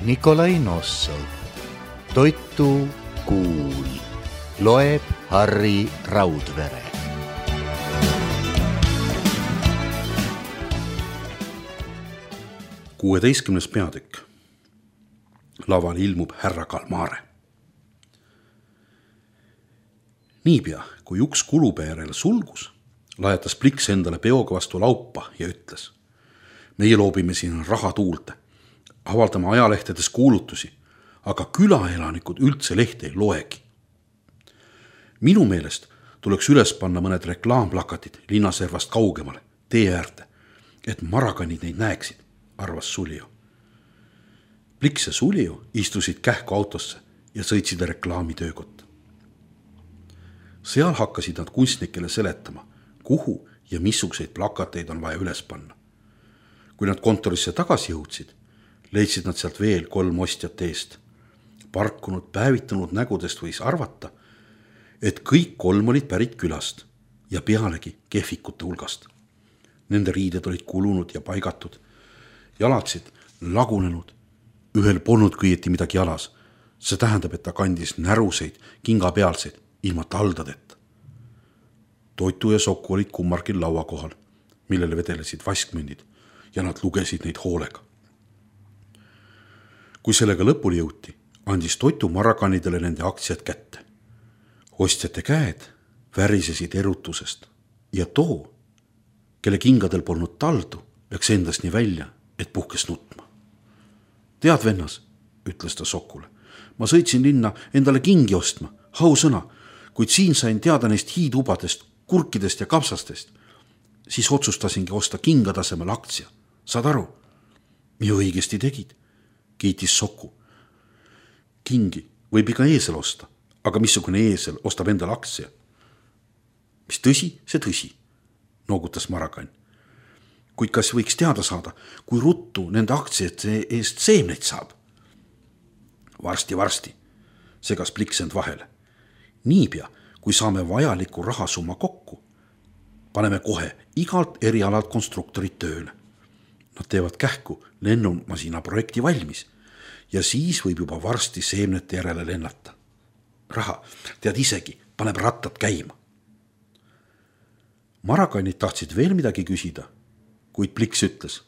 Nikolai Nossov. Toitu kuul. Loeb Harri Raudvere. Kuueteistkümnes peatükk. Laval ilmub härra Kalmare. Niipea, kui uks kulube järele sulgus, lajatas Pliks endale peoga vastu laupa ja ütles: meie loobime siin raha tuulde, avaldame ajalehtedes kuulutusi, aga külaelanikud üldse lehte ei loegi. Minu meelest tuleks üles panna mõned reklaamplakatid linnaservast kaugemale, tee äärde, et marakanid neid näeksid, arvas Sulio. Pliks ja Sulio istusid kähku autosse ja sõitsid reklaamitöökotta. Seal hakkasid nad kunstnikele seletama, kuhu ja missuguseid plakateid on vaja üles panna. Kui nad kontorisse tagasi jõudsid, leidsid nad sealt veel 3 ostjat eest. Parkunud, päevitunud nägudest võis arvata, et kõik 3 olid pärit külast ja pealegi kehvikute hulgast. Nende riided olid kulunud ja paigatud, jalatsid lagunenud, ühel polnud kõieti midagi jalas. See tähendab, et ta kandis näruseid, kingapealseid, ilma taldadeta. Toitu ja Sokku olid kummargil laua kohal, millele vedelesid vaskmündid ja nad lugesid neid hoolega. Kui sellega lõpuni jõuti, andis Toitu marakanidele nende aktsiad kätte. Ostjate käed värisesid erutusest ja too, kelle kingadel polnud taldu, läks endast nii välja, et puhkes nutma. Tead, vennas, ütles ta Sokule, ma sõitsin linna endale kingi ostma, hausõna, kuid siin sain teada neist hiidubadest, kurkidest ja kapsastest, siis otsustasingi osta kingatasemel aktsia. Saad aru? Ja õigesti tegid, kiitis Sokku. Kingi võib iga eesel osta, aga missugune eesel ostab endale aktsia? Mis tõsi, see tõsi, noogutas marakann. Kuid kas võiks teada saada, kui ruttu nende aktsiate eest seemneid saab? Varsti, segas Pliks end vahele. Niipea, kui saame vajaliku rahasumma kokku, paneme kohe igalt erialalt konstruktorid tööle. Nad teevad kähku lennumasina projekti valmis ja siis võib juba varsti seemnete järele lennata. Raha, tead isegi, paneb rattad käima. Marakannid tahtsid veel midagi küsida, kuid Pliks ütles: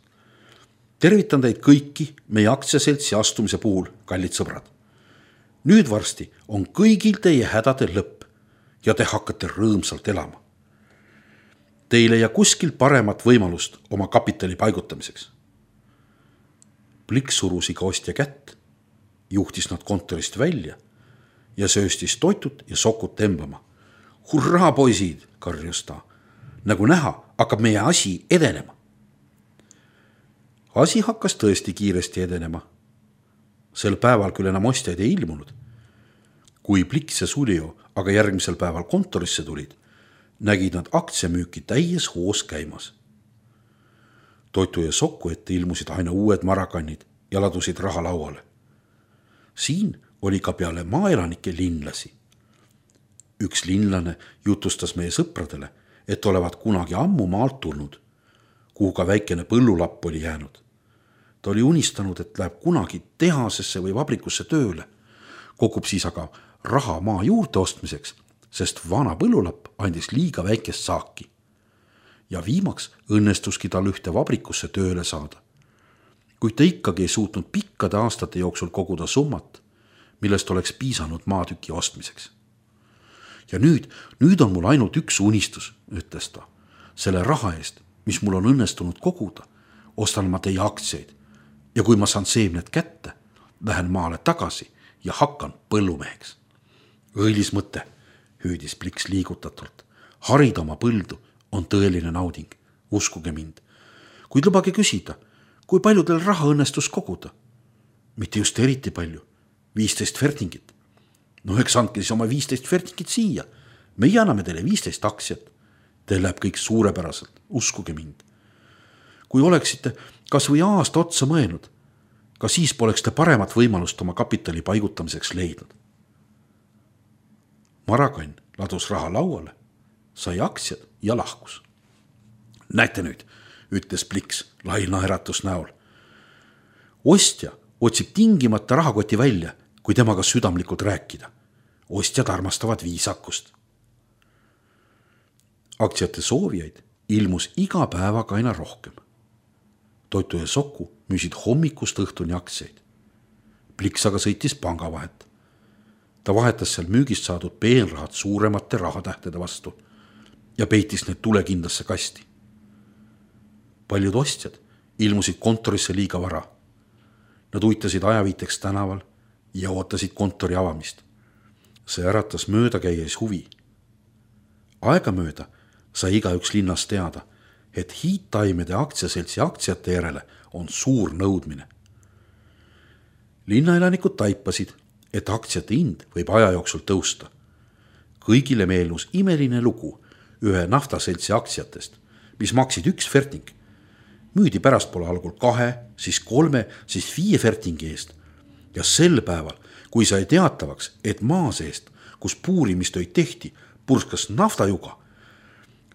tervitan teid kõiki meie aktsiaseltsi astumise puhul, kallid sõbrad. Nüüd varsti on kõigil teie hädade lõpp ja te hakkate rõõmsalt elama. Teil ei jää kuskil paremat võimalust oma kapitali paigutamiseks. Pliks surus iga ostja kätt, juhtis nad kontorist välja ja sööstis Toitut ja Sokut temblama. Hurraa, poisid, karjus ta. Nagu näha, hakkab meie asi edenema. Asi hakkas tõesti kiiresti edenema. Sel päeval küll enam ostjaid ei ilmunud. Kui Pliks ja Sulio aga järgmisel päeval kontorisse tulid, nägid nad aktsiamüüki täies hoos käimas. Toitu ja Sokku ette ilmusid aina uued marakannid ja ladusid raha lauale. Siin oli ka peale maaelanike linlasi. Üks linlane jutustas meie sõpradele, et olevat kunagi ammu maalt tulnud, kuhu ka väikene põllulapp oli jäänud. Ta oli unistanud, et läheb kunagi tehasesse või vabrikusse tööle, kogub siis aga raha maa juurde ostmiseks, sest vana põllulapp andis liiga väikest saaki. Ja viimaks õnnestuski tal ühte vabrikusse tööle saada. Kuid ta ikkagi ei suutnud pikkade aastate jooksul koguda summat, millest oleks piisanud maatüki ostmiseks. Ja nüüd on mul ainult üks unistus, ütles ta. Selle raha eest, mis mul on õnnestunud koguda, ostan ma teie aktsiaid ja kui ma saan seemned kätte, lähen maale tagasi ja hakkan põllumeheks. Õilis mõte, hüüdis Pliks liigutatult. Harida oma põldu on tõeline nauding, uskuge mind. Kuid lubage küsida, kui palju teil raha õnnestus koguda? Mitte just eriti palju, 15 fertingit. No eks andke siis oma 15 fertingit siia. Meie anname teile 15 aktsiat. Teil läheb kõik suurepäraselt, uskuge mind. Kui oleksite kas või aasta otsa mõelnud, ka siis poleks te paremat võimalust oma kapitali paigutamiseks leidnud. Marakann ladus raha lauale, sai aktsiad ja lahkus. Näete nüüd, ütles Pliks lai naeratus näol. Ostja otsib tingimata rahakoti välja, kui temaga südamlikult rääkida. Ostjad armastavad viisakust. Aktsiate soovijaid ilmus iga päevaga aina rohkem. Toitu ja Soku müüsid hommikust õhtuni aktsiaid. Pliks aga sõitis pangavahet. Ta vahetas seal müügist saadud peenrahad suuremate rahatähtede vastu ja peitis need tulekindlasse kasti. Paljud ostjad ilmusid kontorisse liiga vara. Nad uitasid ajaviiteks tänaval ja ootasid kontori avamist. See äratas möödakäies huvi. Aegamööda sai igaüks linnas teada, et Hiidtaimede aktsiaseltsi aktsiate järele on suur nõudmine. Linnaelanikud taipasid, et aktsiate hind võib aja jooksul tõusta. Kõigile meelus imeline lugu ühe naftaseltsi aktsiatest, mis maksid 1 ferting. Müüdi pärastpoole algul 2, siis 3, siis 5 fertingi eest. Ja sel päeval, kui sai teatavaks, et maa seest, kus puurimistöid tehti, purskas naftajuga,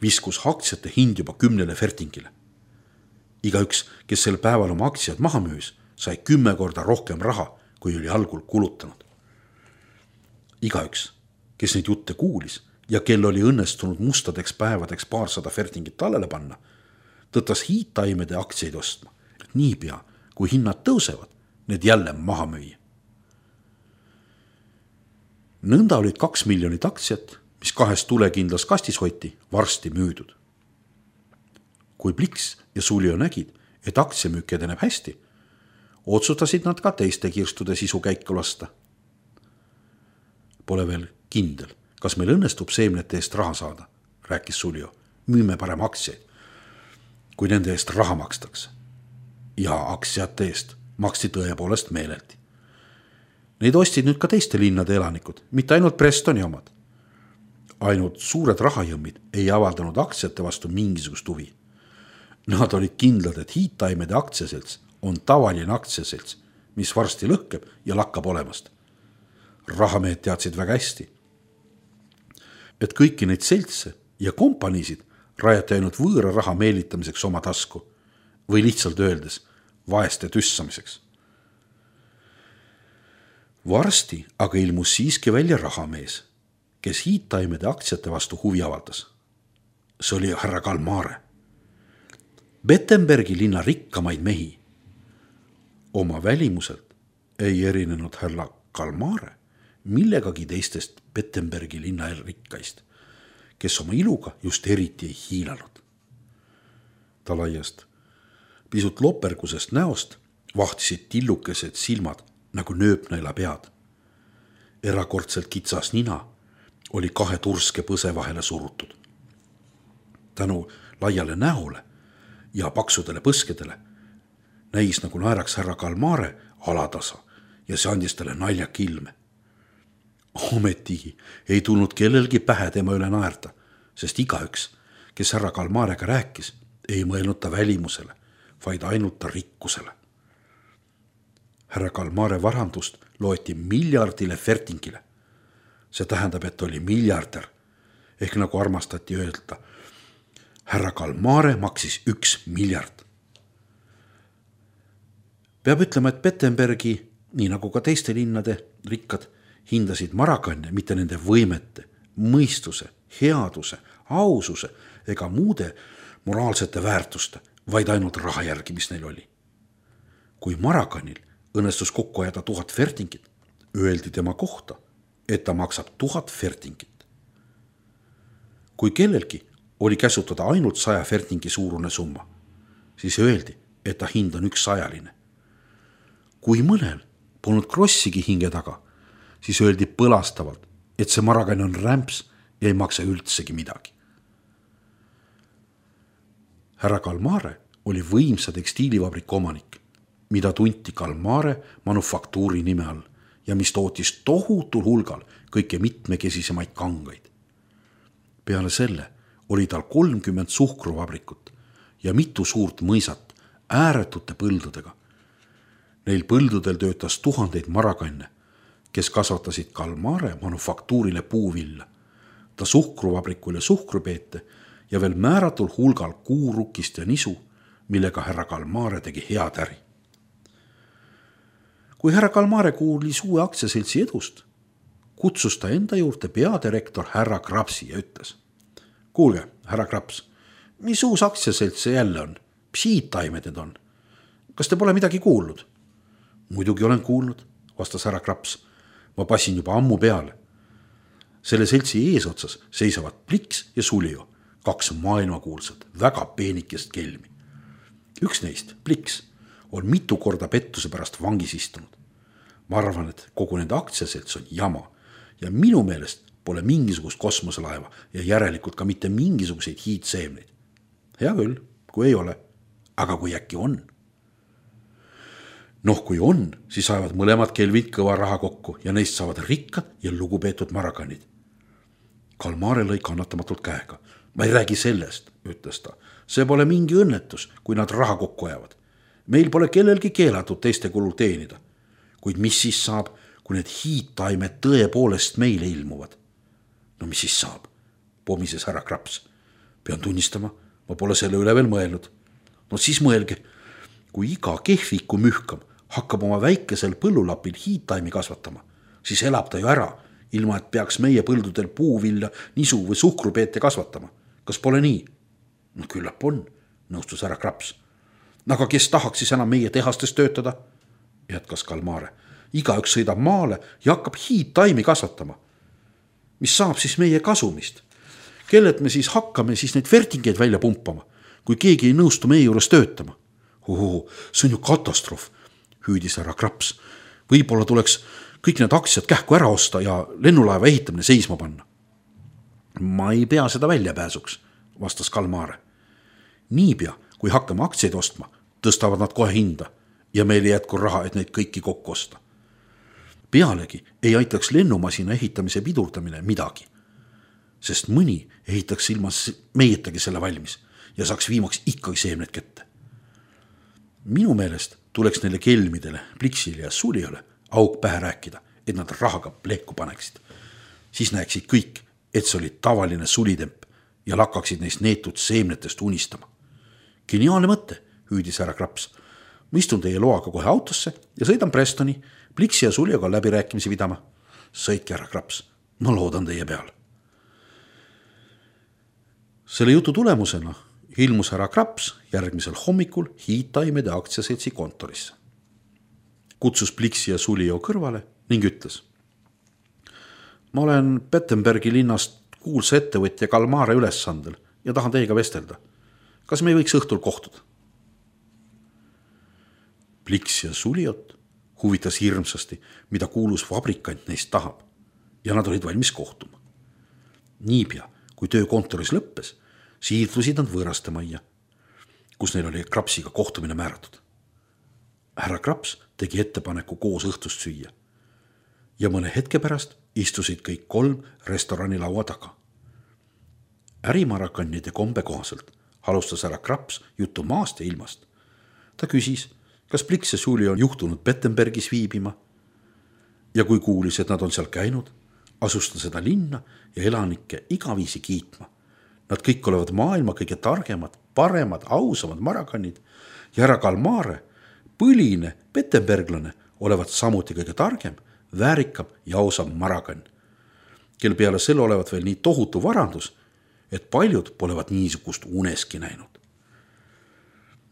viskus aktsiate hind juba 10 fertingile. Igaüks, kes sel päeval oma aktsiad maha müüs, sai 10 korda rohkem raha, kui oli algul kulutanud. Igaüks, kes neid jutte kuulis ja kel oli õnnestunud mustadeks päevadeks 200 fertingit tallele panna, tõttas Hiidtaimede aktsiaid ostma, et niipea, kui hinnad tõusevad, need jälle maha müüa. Nõnda olid 2 miljonit aktsiat, mis 2 tulekindlas kastis hoiti, varsti müüdud. Kui Pliks ja Sulio nägid, et aktsiamüük edeneb hästi, otsustasid nad ka teiste kirstude sisu käiku lasta. Pole veel kindel, kas meil õnnestub seemnete eest raha saada, rääkis Sulio. Müüme parem aktsiaid, kui nende eest raha makstakse. Ja aktsiate eest maksti tõepoolest meeleldi. Neid ostid nüüd ka teiste linnade elanikud, mitte ainult Prestoni omad. Ainult suured rahajõmmid ei avaldanud aktsiate vastu mingisugust huvi. Nad olid kindlad, et Hiidtaimede aktsiaselts on tavaline aktsiaselts, mis varsti lõhkeb ja lakkab olemast. Rahamehed teadsid väga hästi, et kõiki neid seltse ja kompaniisid rajati ainult võõra raha meelitamiseks oma tasku või lihtsalt öeldes vaeste tüssamiseks. Varsti aga ilmus siiski välja rahamees, kes Hiidtaimede aktsiate vastu huvi avaldas. See oli härra Kalmare. Bettenbergi linna rikkamaid mehi. Oma välimuselt ei erinenud härra Kalmare millegagi teistest Bettenbergi linna rikkaist, kes oma iluga just eriti ei hiilanud. Ta laiast, pisut lopergusest näost vahtisid tillukesed silmad nagu nööpnaila pead. Erakordselt kitsas nina oli 2 turske põse vahele surutud. Tänu laiale näole ja paksudele põskedele näis nagu naeraks härra Kalmare alatasa ja see andis talle naljak ilme. Ometigi ei tulnud kellelgi pähe tema üle naerda, sest igaüks, kes härra Kalmarega rääkis, ei mõelnud ta välimusele, vaid ainult ta rikkusele. Härra Kalmare varandust loeti miljardile fertingile. See tähendab, et oli miljardär, ehk nagu armastati öelda, härra Kalmare maksis 1 miljard. Peab ütlema, et Bettenbergi, nii nagu ka teiste linnade rikkad, hindasid Marakanne mitte nende võimete, mõistuse, headuse, aususe ega muude moraalsete väärtuste, vaid ainult raha järgi, mis neil oli. Kui Marakanil õnnestus kokku ajada 1000 fertingit, öeldi tema kohta, et ta maksab 1000 fertingit. Kui kellelgi oli käsutada ainult 100 fertingi suurune summa, siis öeldi, et ta hind on 100-line. Kui mõnel polnud krossigi hinge taga, siis öeldi põlastavalt, et see Marakann on rämps ja ei maksa üldsegi midagi. Härra Kalmare oli võimsa tekstiilivabriku omanik, mida tunti Kalmare manufaktuuri nime all ja mis tootis tohutul hulgal kõike mitmekesisemaid kangaid. Peale selle oli tal 30 suhkruvabrikut ja mitu suurt mõisat ääretute põldudega. Neil põldudel töötas tuhandeid Marakanne, kes kasvatasid Kalmare manufaktuurile puuvilla, ta suhkruvabrikule suhkrupeete ja veel määratul hulgal kuurukist ja nisu, millega härra Kalmare tegi head äri. kui härra Kalmare kuulis uue aktsiaseltsi edust, kutsus ta enda juurde peadirektor härra Krapsi ja ütles: kuulge, härra Kraps, mis uus aktsiaselts see jälle on? Mis hiidtaimed need on? Kas te pole midagi kuulnud? Muidugi olen kuulnud, vastas härra Kraps. Ma passin juba ammu peale. Selle seltsi eesotsas seisavad Pliks ja Sulio, 2 maailmakuulsat, väga peenikest kelmi. Üks neist, Pliks, on mitu korda pettuse pärast vangis istunud. Ma arvan, et kogu nende aktsiaselts on jama ja minu meelest pole mingisugust kosmoselaeva ja järelikult ka mitte mingisuguseid hiidseemneid. Hea küll, kui ei ole, aga kui äkki on. Kui on, siis saavad mõlemad kelvid kõva raha kokku ja neist saavad rikkad ja lugupeetud marakanid. Kalmare lõi kannatamatult käega. Ma ei räägi sellest, ütles ta. See pole mingi õnnetus, kui nad raha kokku ajavad. Meil pole kellelgi keelatud teiste kulul teenida. Kuid mis siis saab, kui need hiidtaimed tõepoolest meile ilmuvad? No mis siis saab? Pomises härra Kraps. Pean tunnistama, ma pole selle üle veel mõelnud. No siis mõelge, kui iga kehviku mühkam hakkab oma väikesel põllulapil hiidtaimi kasvatama, siis elab ta ju ära, ilma et peaks meie põldudel puuvilja, nisu või suhkrupeete kasvatama. Kas pole nii? No küllap on, nõustus härra Kraps. Aga kes tahaks siis enam meie tehastes töötada? Jätkas Kalmare. Igaüks sõidab maale ja hakkab hiidtaimi kasvatama. Mis saab siis meie kasumist? Kellelt me siis hakkame siis neid vertingeid välja pumpama, kui keegi ei nõustu meie juures töötama? See on ju katastroof, hüüdis härra Kraps. Võib-olla tuleks kõik need aktsiad kähku ära osta ja lennulaeva ehitamine seisma panna. Ma ei pea seda väljapääsuks, vastas Kalmare. Niipea, kui hakkame aktsiaid ostma, tõstavad nad kohe hinda ja meil ei jätku raha, et neid kõiki kokku osta. Pealegi ei aitaks lennumasina ehitamise pidurdamine midagi, sest mõni ehitaks ilma meietagi selle valmis ja saaks viimaks ikkagi seemned kätte. Minu meelest tuleks neile kelmidele, Pliksile ja Suliole auk pähe rääkida, et nad rahaga plehku paneksid. Siis näeksid kõik, et see oli tavaline sulitemp ja lakkaksid neist neetud seemnetest unistama. Geniaalne mõte, hüüdis härra Kraps. Ma istun teie loaga kohe autosse ja sõidan Prestoni, Pliksi ja Sulioga läbirääkimisi pidama. Sõitke, härra Kraps, ma loodan teie peal. Selle jutu tulemusena ilmus härra Kraps järgmisel hommikul hiidtaimede aktsiaseltsi kontorisse. Kutsus Pliksi ja Sulio kõrvale ning ütles: ma olen Pettenbergi linnast kuulsa ettevõtja Kalmare ülesandel ja tahan teiega vestelda. Kas me ei võiks õhtul kohtuda? Pliks ja Suliot huvitas hirmsasti, mida kuulus fabrikant neist tahab ja nad olid valmis kohtuma. Niipea, kui töö kontoris lõppes, siirdusid nad võõrastemajja, kus neil oli Krapsiga kohtumine määratud. Härra Kraps tegi ettepaneku koos õhtust süüa ja mõne hetke pärast istusid kõik 3 restorani laua taga. Ärimarakannide kombe kohaselt alustas härra Kraps juttu maast ja ilmast. Ta küsis, kas Pliks ja Sulio on juhtunud Pettenbergis viibima ja kui kuulis, et nad on seal käinud, asus ta seda linna ja elanikke igaviisi kiitma. Nad kõik olevat maailma kõige targemad, paremad, ausamad marakannid ja härra Kalmare, põline pettenberglane, olevat samuti kõige targem, väärikam ja ausam marakann, kel peale selle olevat veel nii tohutu varandus, et paljud polevat niisugust uneski näinud.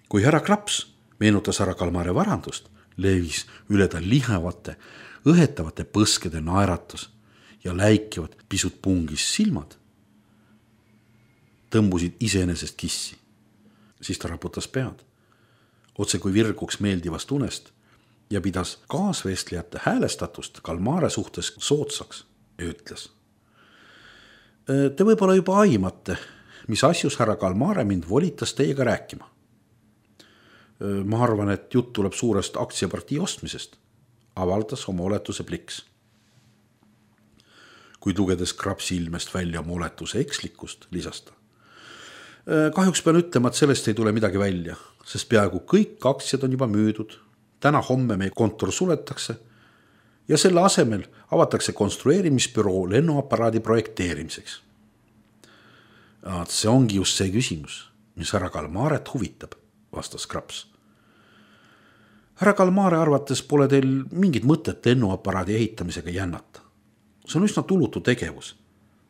Kui härra Kraps meenutas härra Kalmare varandust, levis üle ta lihevate, õhetavate põskede naeratus ja läikivad pisut pungis silmad tõmbusid iseenesest kissi. Siis ta raputas pead, otse kui virguks meeldivast unest ja pidas kaasvestlejate häälestatust Kalmare suhtes soodsaks ja ütles: te võib-olla juba aimate, mis asjus härra Kalmare mind volitas teiega rääkima. Ma arvan, et jutt tuleb suurest aktsiapartii ostmisest, avaldas oma oletuse Pliks. Kuid lugedes Krapsi ilmest välja oma oletuse ekslikkust, lisas ta: kahjuks pean ütlema, et sellest ei tule midagi välja, sest peaaegu kõik aktsiad on juba müüdud. Täna-homme meie kontor suletakse ja selle asemel avatakse konstrueerimisbüroo lennuaparaadi projekteerimiseks. See ongi just see küsimus, mis härra Kalmaret huvitab, vastas Kraps. härra Kalmare arvates pole teil mingit mõtet lennuaparaadi ehitamisega jännata. See on üsna tulutu tegevus,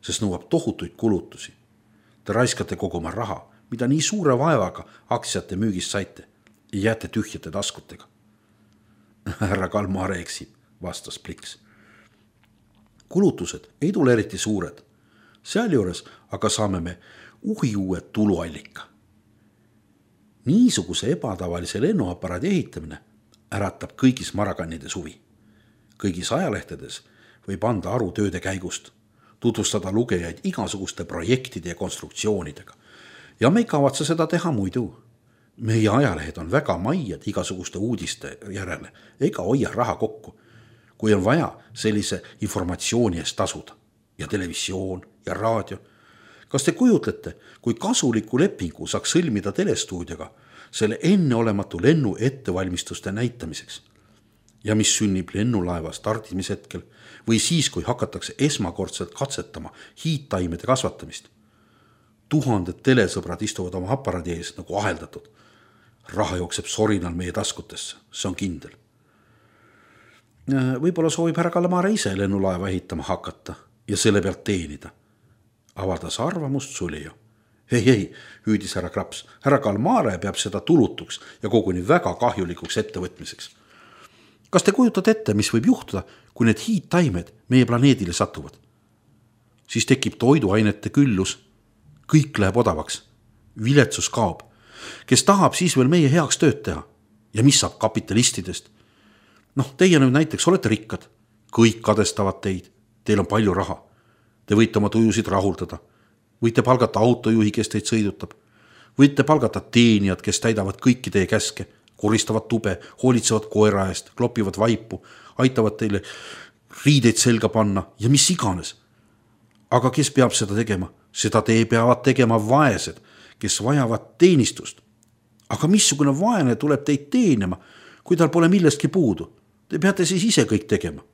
sest nõuab tohutuid kulutusi. Te raiskate kogu oma raha, mida nii suure vaevaga aktsiate müügist saite ja jääte tühjate taskutega. Härra Kalmare eksib, vastas Pliks. Kulutused ei tule eriti suured. Sealjuures aga saame me uue tuluallika. Niisuguse ebatavalise lennuaparaadi ehitamine äratab kõigis Maragannide suvi. Kõigis ajalehtedes võib anda aru tööde käigust, tutvustada lugejaid igasuguste projektide ja konstruktsioonidega. Ja me ei kavatse seda teha muidu. Meie ajalehed on väga maiad igasuguste uudiste järele ega hoia raha kokku, kui on vaja sellise informatsiooni eest tasuda. Ja televisioon ja raadio. Kas te kujutlete, kui kasuliku lepingu saaks sõlmida telestuudioga selle enneolematu lennu ettevalmistuste näitamiseks? Ja mis sünnib lennulaeva startimishetkel või siis, kui hakatakse esmakordselt katsetama hiidtaimede kasvatamist? 1000 telesõbrad istuvad oma aparaadi ees nagu aheldatud. Raha jookseb sorinal meie taskutesse, see on kindel. Võib-olla soovib härra Kalmare ise lennulaeva ehitama hakata ja selle pealt teenida. Avaldas arvamust Sulio. Ei, hüüdis härra Kraps. Härra Kalmare peab seda tulutuks ja koguni väga kahjulikuks ettevõtmiseks. Kas te kujutate ette, mis võib juhtuda, kui need hiidtaimed meie planeedile satuvad? Siis tekib toiduainete küllus. Kõik läheb odavaks. Viletsus kaob. Kes tahab siis veel meie heaks tööd teha? Ja mis saab kapitalistidest? Teie nüüd näiteks olete rikkad. Kõik kadestavad teid. Teil on palju raha. Te võite oma tujusid rahuldada. Võite palgata autojuhi, kes teid sõidutab. Võite palgata teenijad, kes täidavad kõiki teie käske, koristavad tube, hoolitsevad koera eest, klopivad vaipu, aitavad teile riideid selga panna ja mis iganes. Aga kes peab seda tegema? Seda te peavad tegema vaesed, kes vajavad teenistust. Aga missugune vaene tuleb teid teenima, kui tal pole millestki puudu? Te peate siis ise kõik tegema.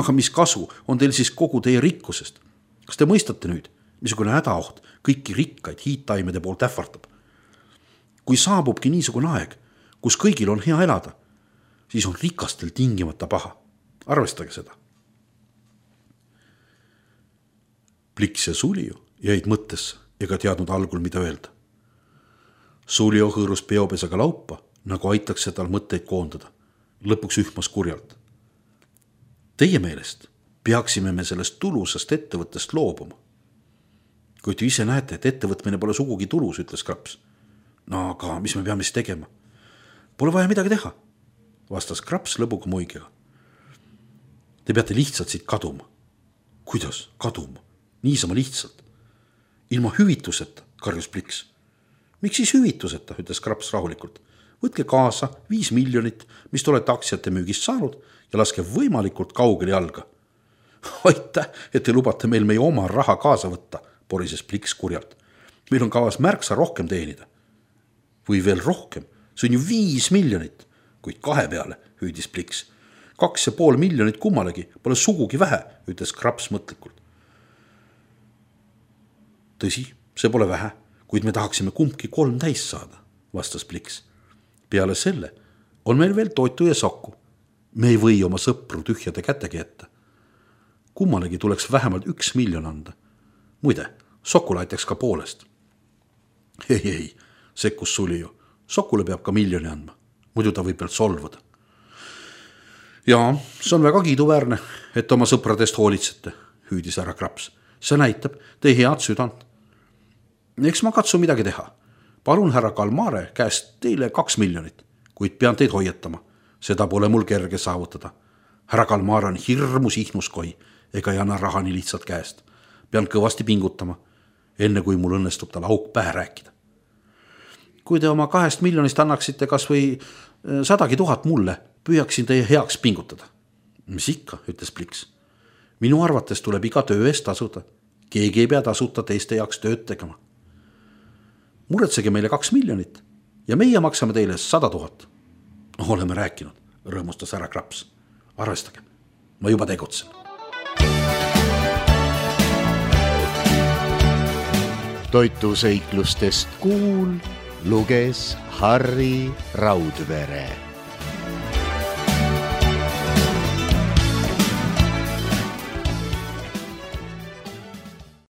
Aga mis kasu on teil siis kogu teie rikkusest? Kas te mõistate nüüd, missugune hädaoht kõiki rikkaid hiidtaimede poolt ähvardab? Kui saabubki niisugune aeg, kus kõigil on hea elada, siis on rikastel tingimata paha. Arvestage seda. Pliks ja Sulio jäid mõttesse ega teadnud algul, mida öelda. Sulio hõõrus peopesaga laupa, nagu aitaks tal mõtteid koondada. Lõpuks ühmas kurjalt. Teie meelest peaksime me sellest tulusast ettevõttest loobuma. Kui te ise näete, et ettevõtmine pole sugugi tulus, ütles Kraps. Aga mis me peame siis tegema? Pole vaja midagi teha, vastas Kraps lõbuga muigega. Te peate lihtsalt siit kaduma. Kuidas kaduma? Niisama lihtsalt. Ilma hüvituseta, karjus Pliks. Miks siis hüvituseta, ütles Kraps rahulikult. Võtke kaasa 5 miljonit, mis te olete aktsiate müügist saanud ja laske võimalikult kaugele jalga. Aitäh, et te lubate meil meie oma raha kaasa võtta, porises Pliks kurjalt. Meil on kavas märksa rohkem teenida. Või veel rohkem, see on ju 5 miljonit, kuid 2 peale, hüüdis Pliks. 2,5 miljonit kummalegi, pole sugugi vähe, ütles Kraps mõtlikult. Tõsi, see pole vähe, kuid me tahaksime kumbki 3 täis saada, vastas Pliks. Peale selle on meil veel toitu ja sokku. Me ei või oma sõpru tühjade kätegi jätta. Kummalegi tuleks vähemalt 1 miljon anda. Muide, sokule aitaks ka poolest. Ei, sekkus Sulio. Sokule peab ka 1 miljoni andma. Muidu ta võib veel solvuda. Jaa, see on väga kiiduväärne, et oma sõpradest hoolitsete, hüüdis härra Kraps. See näitab teie head südant. Eks ma katsu midagi teha. Palun härra Kalmare käest teile 2 miljonit, kuid pean teid hoiatama. Seda pole mul kerge saavutada. Härra Kalmare on hirmus ihnuskoi, ega ei anna raha nii lihtsalt käest. Pean kõvasti pingutama, enne kui mul õnnestub tal auk pähe rääkida. Kui te oma 2 miljonist annaksite kas või 100 000 mulle, püüaksin teie heaks pingutada. Mis ikka, ütles Pliks. Minu arvates tuleb iga töö eest tasuda. Keegi ei pea tasuta teiste jaoks tööd tegema. Muretsege meile 2 miljonit ja meie maksame teile 100 000. Oleme rääkinud, rõõmustas härra Kraps. Arvestage, ma juba tegutsen. Toituseiklustest kuul luges Harri Raudvere.